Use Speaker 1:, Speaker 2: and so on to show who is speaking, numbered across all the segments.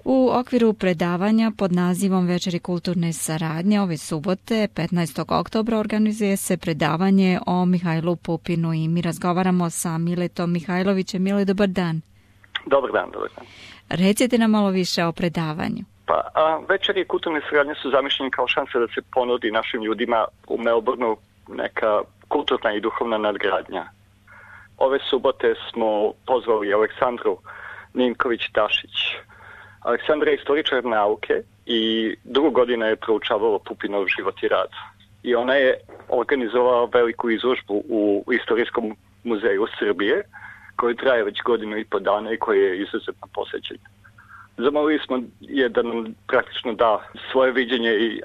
Speaker 1: U okviru predavanja pod nazivom Večeri kulturne saradnje ove subote, 15. oktobra, organizuje se predavanje o Mihajlu Pupinu i mi razgovaramo sa Miletom Mihajlovićem. Mile, dobar dan.
Speaker 2: Dobar dan, dobar dan.
Speaker 1: Recite nam malo više o predavanju.
Speaker 2: Večeri kulturne saradnje su zamišljeni kao šansa da se ponudi našim ljudima u Melbourneu neka kulturna i duhovna nadgradnja. Ove subote smo pozvali Aleksandru Ninković-Tašić. Aleksandra je istoričar nauke i 2 godine je proučavala Pupinov život i rad. I ona je organizovala veliku izložbu u Istorijskom muzeju Srbije, koji traje već 1.5 godina i koji je izuzetno posećen. Zamolili smo je da nam praktično da svoje viđenje i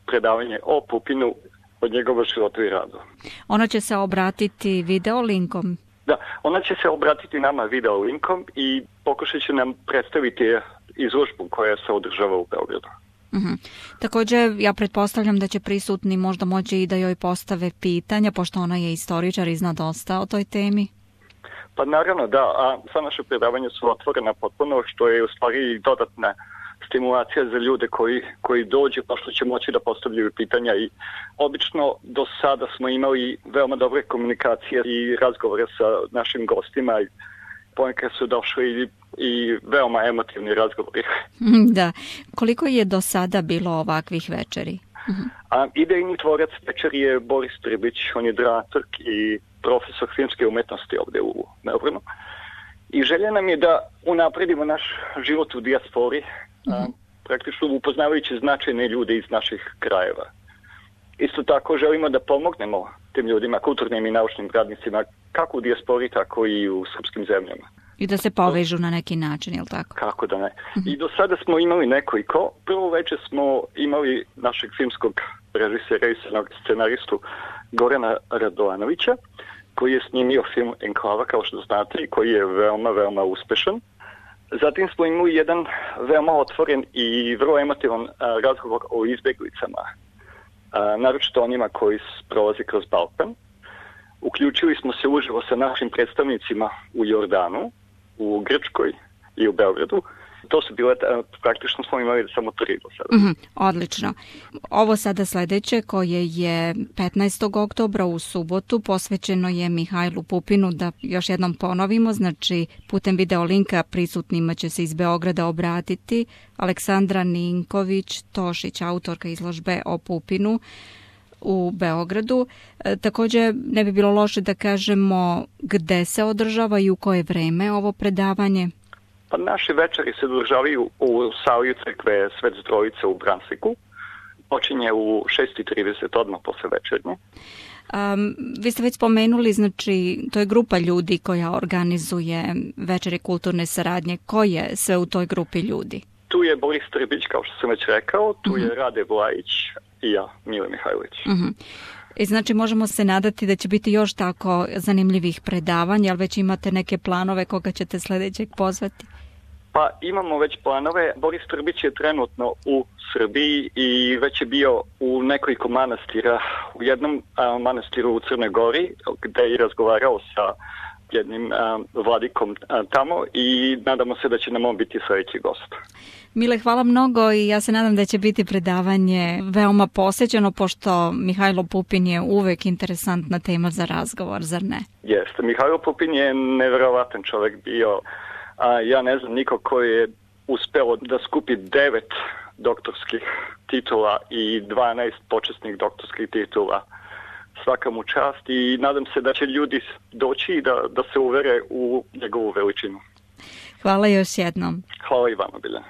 Speaker 2: predavanje o Pupinu od njegova života i radu.
Speaker 1: Ona će se obratiti video linkom?
Speaker 2: Da, ona će se obratiti nama video linkom i pokušat će nam predstaviti izložbu koja se održava u Beogradu.
Speaker 1: Također, ja pretpostavljam da će prisutni možda moći i da joj postave pitanja, pošto ona je istoričar i zna dosta o toj temi.
Speaker 2: Pa naravno da, a sva naše predavanja su otvorena potpuno, što je u stvari dodatna stimulacija za ljude koji dođu, pa što će moći da postavljaju pitanja. I obično do sada smo imali veoma dobre komunikacije i razgovore sa našim gostima i ponekad su došli i veoma emotivni razgovori.
Speaker 1: Da. Koliko je do sada bilo ovakvih večeri?
Speaker 2: Idejni tvorac večeri je Boris Tribić, on je dramaturg i profesor filmske umetnosti ovdje u Melbourneu. I želja nam je da unapredimo naš život u dijaspori, praktično upoznavajući značajne ljude iz naših krajeva. Isto tako želimo da pomognemo tim ljudima, kulturnim i naučnim radnicima, kako u dijaspori, tako i u srpskim zemljama.
Speaker 1: I da se povežu na neki način, je li tako?
Speaker 2: Kako da ne. I do sada smo imali nekoliko. Prvo večer smo imali našeg filmskog režisera i scenaristu Gorana Radovanovića, koji je snimio film Enklava, kao što znate, i koji je veoma, veoma uspešan. Zatim smo imali jedan veoma otvoren i vrlo emotivan razgovor o izbeglicama, naročito onima koji prolaze kroz Balkan. Uključili smo se uživo sa našim predstavnicima u Jordanu, u Grčkoj i u Beogradu. To su bile, praktično smo imali samo 3 do sada.
Speaker 1: Odlično. Ovo sada sledeće, koje je 15. oktobra u subotu, posvećeno je Mihajlu Pupinu, da još jednom ponovimo, znači putem video linka prisutnima će se iz Beograda obratiti Aleksandra Ninković-Tašić, autorka izložbe o Pupinu u Beogradu. Također ne bi bilo loše da kažemo gde se održava i u koje vreme ovo predavanje.
Speaker 2: Pa naše večeri se održavaju u sali crkve Svet Trojice u Brunswicku. Počinje u 6:30 odmah posle večernje.
Speaker 1: Vi ste već spomenuli, znači to je grupa ljudi koja organizuje večeri kulturne saradnje. Ko je sve u toj grupi ljudi?
Speaker 2: Tu je Boris Tribić, kao što sam već rekao, tu je Rade Vlajić i ja, Mile Mihajlović.
Speaker 1: I znači možemo se nadati da će biti još tako zanimljivih predavanja, ali već imate neke planove koga ćete sledećeg pozvati?
Speaker 2: Pa imamo već planove. Boris Tribić je trenutno u Srbiji i već je bio u nekoliko manastira. U jednom manastiru u Crnoj Gori, gde je razgovarao sa jednim vladikom tamo i nadamo se da će nam on biti sledeći gost.
Speaker 1: Mile, hvala mnogo i ja se nadam da će biti predavanje veoma posećeno, pošto Mihajlo Pupin je uvek interesantna tema za razgovor, zar ne?
Speaker 2: Jeste, Mihajlo Pupin je neverovatan čovek bio. Ja ne znam niko koji je uspeo da skupi 9 doktorskih titula i 12 počasnih doktorskih titula. Svaka mu čast i nadam se da će ljudi doći i da se uvere u njegovu veličinu.
Speaker 1: Hvala još jednom.
Speaker 2: Hvala i vama, Biljana.